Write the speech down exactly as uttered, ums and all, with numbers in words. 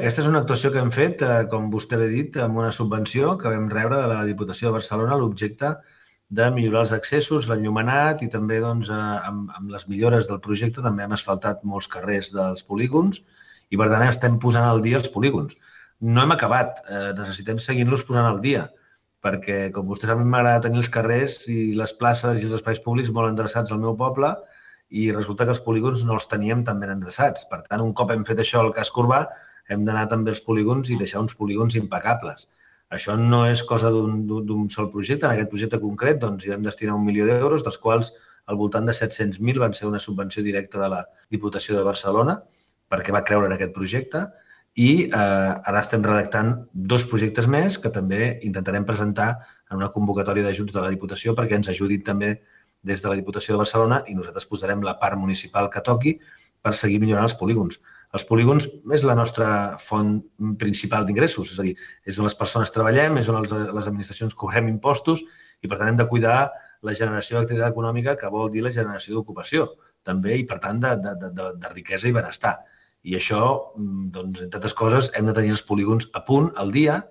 Aquesta és una actuació que hem fet, eh, com vostè bé dit, amb una subvenció que vam rebre de la Diputació de Barcelona a l'objecte de millorar els accessos, l'enllumenat i també doncs, eh, amb, amb les millores del projecte també hem asfaltat molts carrers dels polígons i per tant estem posant al dia els polígons. No hem acabat, eh, necessitem seguir-los posant al dia perquè, com vostè sap, a mi m'agrada tenir els carrers i les places i els espais públics molt endreçats al meu poble i resulta que els polígons no els teníem tan ben endreçats. Per tant, un cop hem fet això al casc urbà, hem d'anar també als polígons i deixar uns polígons impecables. Això no és cosa d'un sol projecte. En aquest projecte concret doncs, hi vam destinar un milió d'euros, dels quals al voltant de set-cents mil van ser una subvenció directa de la Diputació de Barcelona perquè va creure en aquest projecte i eh, ara estem redactant dos projectes més que també intentarem presentar en una convocatòria d'ajuts de la Diputació perquè ens ajudin també des de la Diputació de Barcelona i nosaltres posarem la part municipal que toqui per seguir millorant els polígons. Els polígons és la nostra font principal d'ingressos, és a dir, és on les persones treballem, és on els, les administracions cobrem impostos i per tant hem de cuidar la generació d'activitat econòmica que vol dir la generació d'ocupació també i per tant de, de, de, de riquesa i benestar. I això, doncs, entre altres coses, hem de tenir els polígons a punt al dia